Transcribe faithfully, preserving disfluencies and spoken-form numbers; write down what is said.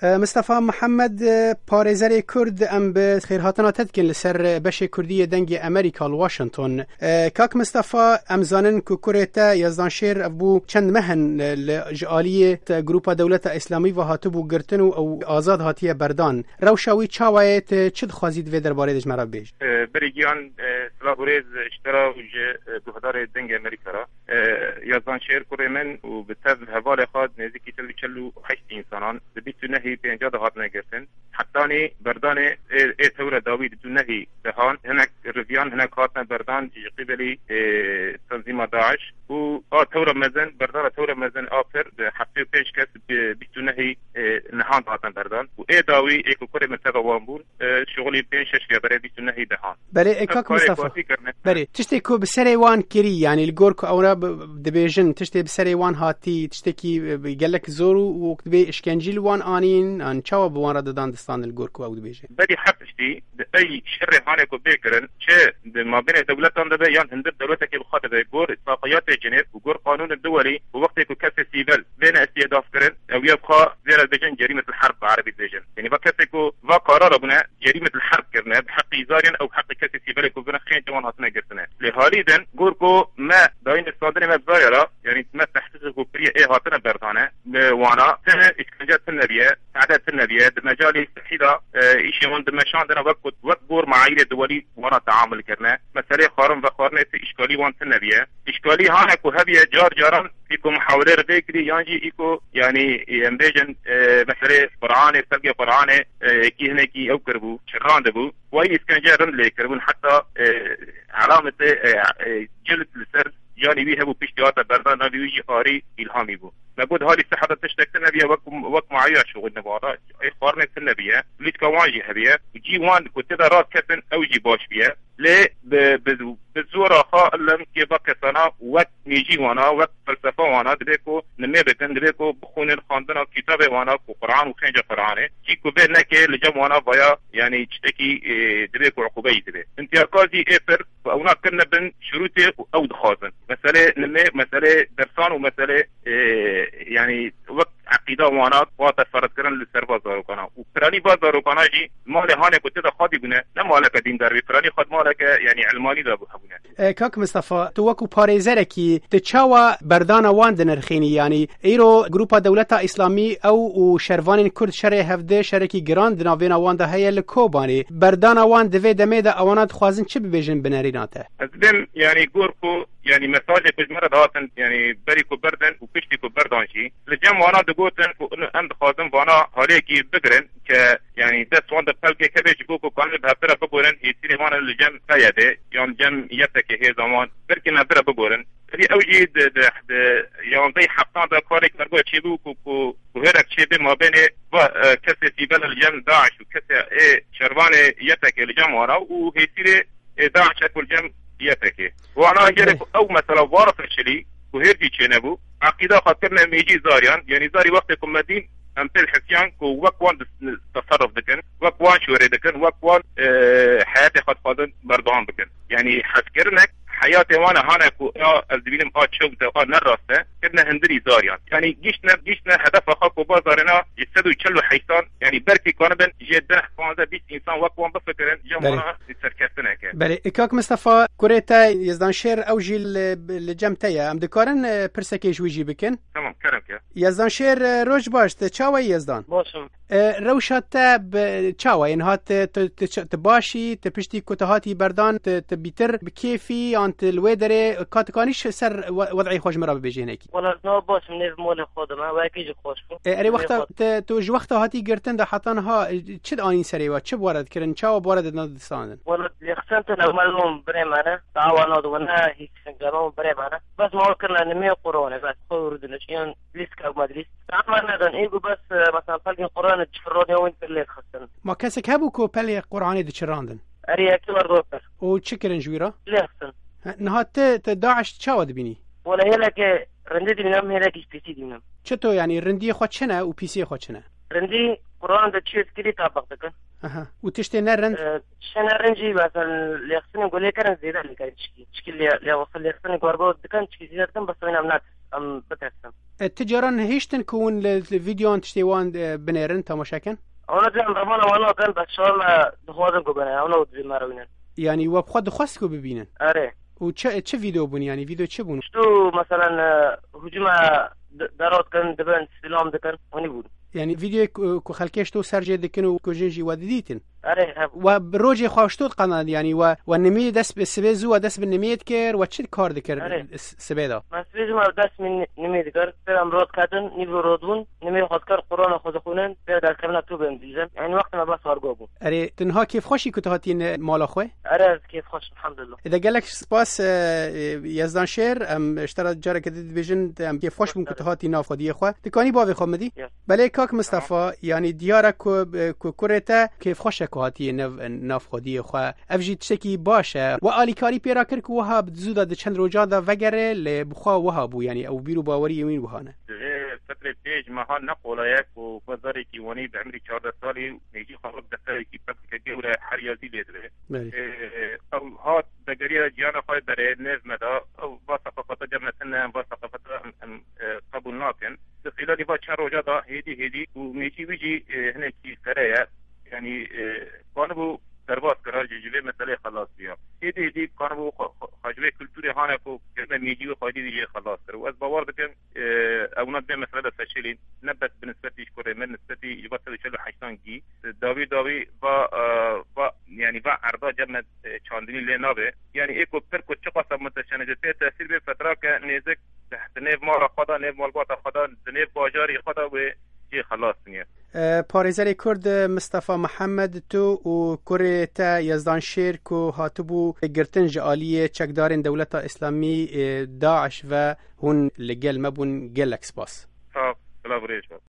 E, Mistefa Mihemed, e, parêzerê Kurd, em bi xêrhatina te dikin li ser beşê Kurdî yê Dengê Amerîka li Washington. E, Kak Mistefa, em zanin ku kurê te Yezdan Şêr ev bû çend meh in, e, li, ji aliyê te Grupa Dewleta Îslamî ve hatibû girtin û ew azad hatiye berdan. Rewşa wî çawa ye, tu çi dixwazî di vê derbarê de ji me re bibêjî? E, Berî Giyan, e, silav û rêz ji te re û ji, e, guhdarê Dengê Amerîka re. E, Yazdan Şêr kurê min û bi tev hevalê xwe nêzîkî sed û çel û heşt insanan di bîst û nehî pênca de hatine girtin. Hetanî berdanê ê, ê tewre dawî di du nehî de han, hinek riviyan, hinek hatine berdan ji qîbelî, e, tenzîma DAIŞ û a tewre mezin, berdana tewre mezin a pir di heftê û pênc kes bi bîst û nehî, e, nihan hatine berdan û ê dawî ê ku kurê min teva wan bûn, e, şixulî pênc şeş ya berê bîst û nehî de han. Belê, e, kak Mistefa. Berê, tiştê ku bi serê wan kirî, yanî li gor ku ew re bi-, dibêjin, tiştê bi serê wan hatî, tiştekî, e, bi gelek zor û wek dibê işkencî li wan anîn, an çawa bi wan re didan distandin li gor ku ew dibêjin? Berî her tiştî, di ey şerê hanê ku bê kirin, çi di mabênê dewletan de be yan hundir dewletekê bi xwe de be, gor îtfaqiyatê Cenêv û gor qanûnên duwelî û wextê ku kesê sîvel bêne îstîhdaf kirin, ew ya bi xwe vê re dibêjin cerîmetul herb bi erebî dibêjin. Yanî va kesê ku va karara bûne, cerîmetul herb kirine, bi heqî zaryan ew bi heqî kesê sîvelê ku vine xêncê wan hatine girtine. Lê halî din, gor ku me dayîn standinê me bi zarya re, yanî me tehqîqê ku kiriye ê hatine berdane, bi wana, ti îşkence tune biye, tehdê tune biye, di mecalê sihî de, e, îşê wan dimeşandine wek ku, wek gor meayîrê duwelî wana teamul kirine. Meselê xwarin vexwarinê ti îşkalî wan tune biye. Îşkalî hane ku hebiye car caran î ku muhawelê re vê kirî yan jî î ku, yanî, em bêjin, e, meselê Qur'anê, sergê Qur'anê, e, kî hinekî ew kiribû, çirrandibû. Wayî îskence rind lê kiribûn, heta, e, elamete, e, e, cilt li ser canî wî hebû, piştî hate berdan, navê wî jî Arî Îlhamî bû. Me got, halî siha de tiştek tune biye, wek, wek muayîra şixulîne bi wana. Ê xwarinê tune biye, lîstika wan jî hebiye. Cî wan ku tê de rast ketin, ew jî baş biye. Lê bi, bi, bi zora xwe illem kê va kesana wek mêjî wana, wek felsefa wana, dibê ku nimê bikin, dibê ku bixwînin xwendina kitabê wana ku Quran û xênca Quranê. Cî ku bê neke li cem wana vaya, yanî tiştekî, e, dibê ku uqûbeyî dibê. Întiyaka zî ê pir, ewna kirine bin şirûtê û ew dixwazin. Meselê nimê, meselê dersan û meselê, e, yanî wek eqîda wana hate ferzkirin li ser va zarokana. Û piranî va zarokana jî malê hanê ku tê de xwedî bûne, ne maleke dîndar bî, piranî xwed maleke, yanî, ilmanî de bû hebûne. E, Kak Mistefa, tu wekû parêzerekî, tu çawa berdana wan dinirxînî? Yanî, îro Grupa Dewleta Îslamî ew û şervanên Kurd şerê hevdê, şerekî giran di navêna wan de heye li Kobanê. Berdana wan di vê demê de ewana dixwazin çi bibêjin bi nerîna te? Ez dibêm, yanî, gor ku, yanî, mesajê ku ji me re dihatin, yanî, berî ku berdin û piştî ku berdan jî, li cem wana digotin ku ino em dixwazin vana haliyekî bigirin ke, yanî, dest wan de pelkek hebe ji bo ku kanin bi hevdira bigorin, hêsîrê wan li cem P Y D yan cem Y P G hêza wan, belkî me bira bigorin. Tevî ew jî di, di, di yanzdeh heftan de karê kargo çêbû ku, ku, ku hêrek çêbê mabênê va, e, kesê sîvel li cem DAIŞ û kesê ê şervanê Y P G li cem wana û hêsîrê ê DAIŞ ku li cem Y P G. Wana gelek ew mesela vara feşelî ku hêr jî çênebû. Eqîda xwe kirine mêjî zariyan, yanî zarî wextê ku me dîn em pêl hesiyan ku wek wan dis-, teserruf dikin, wek wan şûrê dikin, wek wan, e, heyatê xwe dixwazin berdewam bikin. Yanî hezkirinek heyatê wan e hane ku a, ez dibînim a çewt e, a ne rast e, kirine hundirî zariyan. Yanî giştine, giştine hedefa xwe ku ba zarêna ji sed û çel û heştan, yanî belkî kanibin jê deh, panzdeh, bîst însan wek wan bifikirin, cem wana serkeftineke. Belê, Kak Mistefa, kurê te Yezdan Şêr, ew jî li, li cem te ye. Em dikarin, e, pirsekê ji wî jî bikin? Tamam, kerem ke. Yezdan Şêr, e, roj baş, te çawa yî Yezdan? Baş im. E, rewşa te bi çawa ye? Niha tu, tu, tu, tu baş î, tu piştî ku tu hatî berdan, tu, tu bîtir bi kêf î, yan tu li wê derê, ka tu kanî ji ser we-, wed'ê xwe ji min re bibêjî hinekî? Wela ez niha baş im, nêv malê xwe de me, wekî jî xweş bû. E, erê, wexta te, tu ji wexta hatî girtin de heta niha, e, çi dianîn serê we? Çi bi we re dikirin? Çawa bi we re didin distandin? Wela lêxistin te ne, me li wan birê me ne, dawa nadin we ne, hîs fincanan birê me ne. Bes me wan kirine nimê Qur'anê, bes xwe û rûdinişiyan lîstika û medlîs. Ama nedan, ê ku bes, e, mesela pelgên Qur'anê diçirrandin, wî pir lê dixistin. Ma kesek hebû ku pelê Qur'anê diçirrandin? Erê, yekî wer dor pir. Û çi kirin ji wî re? Lê dixistin. He, niha ti, ti DAIŞ çawa dibînî? Wele hêleke rindî dibînim, hêlekî ji pîsî dibînim. Çito, yanî rindiyê xwe çi ne û pîsiyê xwe çi ne? Rindî Qur'an de çi yê dikirî tabiq dikin. Aha. Û tiştê ne rind? E, tiştê ne rind jî, mesela, lêxistinê ku lê kirin zêde lê kirin çikî. Çikî lê, lê wexta lêxistinê ku ergo dikin, çikî zêde dikin, bes wîna em natirsin, em bitirsin. E, ti caran hiştin ku hûn li, li vîdeoyan tiştê wan, e, binêrin, temaşe kin? Ona dibên revana wan nakin, bes şar me dixwazin ku bine, ona dibê me rewînin. Yanî we bi xwe dixwest ku bibînin? Erê. Û çi, çi vîdeo bûn, yanî vîdeo çi bûn? Ştu, meselen, e, hücuma d-, dera dikin, dibin, sîlam dikin, hûnî bûn. Yanî vîdeoyê ku, ku xelkê ştu ser jê dikin û ku jin jî we didîtin? Erê, hebû. We bi rojê xwe ştu diqanand, yanî we, we nimî dest bi sibê zû we dest bi nimî dikir, we çi kar dikir Erê. s-, sibê de? Me sibê zû me dest min nimî dikir, sibê em rot ketin, nîvro rot bûn, nimî xwe dikir, Qur'ana xwe dixwînin, sibê derkevina tu bên dîzin. Yanî wextê me bes ergo bû. Erê, tu niha kêfxweş î ku tu hatî ne mala xwe? Erê, ez kêfxweş, elhamdulillah. Ê de gelek spas, e, e, Yezdan Şêr, em ji te re careke din dibêjin, em kêfxweş bûn ku tu hatî nav xwediyê xwe. Tu kanî bavê xwe min dî? Yes. Belê kak Mistefa, yanî diyar e ku, e, ku kurê te kêfxweş e ku hatiye nav, nav xwediyê xwe. Ev jî tiştekî baş e. We alîkarî pê re kir ku wiha bi zû de di çend rojan de vegere, lê bi xwe wiha bû, yanî ew bîr û baweriyê wîn wiha ne. Divê fikrê pêş meha ne qolay e ku xwe zarekî wanî bi emrî çardeh salî û nêzî xwe wek defterekî pepike gewre her yazî lê dibe. Belê. Ee, ew hat vegeriya ciyana xwe berê nêz me da, ew va seqafata cem me tune, va seqafata em, em, e, qebûl nakin. Di xîlalî va çend roja da hêdî hêdî û nêzî wî jî, e, hinekî fere ye. Yanî, e, kanibû derbas kira jî ji vê meseleyê xelas biya. Hêdî hêdî kanibû xwe, xwe, xwe ji vê kulturê hane ku germe mîcî wê xwedî dî jê xelas kir. Û ez bawer dikim, e, ewna dibê mesele de seçêlî, ne bes bi nisbetî ji kurê me, nisbetî ji va sed û çel û heştan gî. Dawî dawî va, e, va, yanî va erda germe, e, çandinî lê nabe. Yanî ê ku pir ku çiqas e mutesene ji tê tesîr bê fetrake nêzik di, di nêv mala xwe de, nêv malbata xwe de, di nêv bajarî xwe de wê jê xelas niye. E, parêzerê Kurd Mistefa Mihemed, tu û kurê te Yezdan Şêr ku hatibû girtin ji aliyê çekdarên Dewleta Îslamî, e, DAIŞ ve hûn li gel me bûn, gelek spas. Sağ ol. Bila birêj be.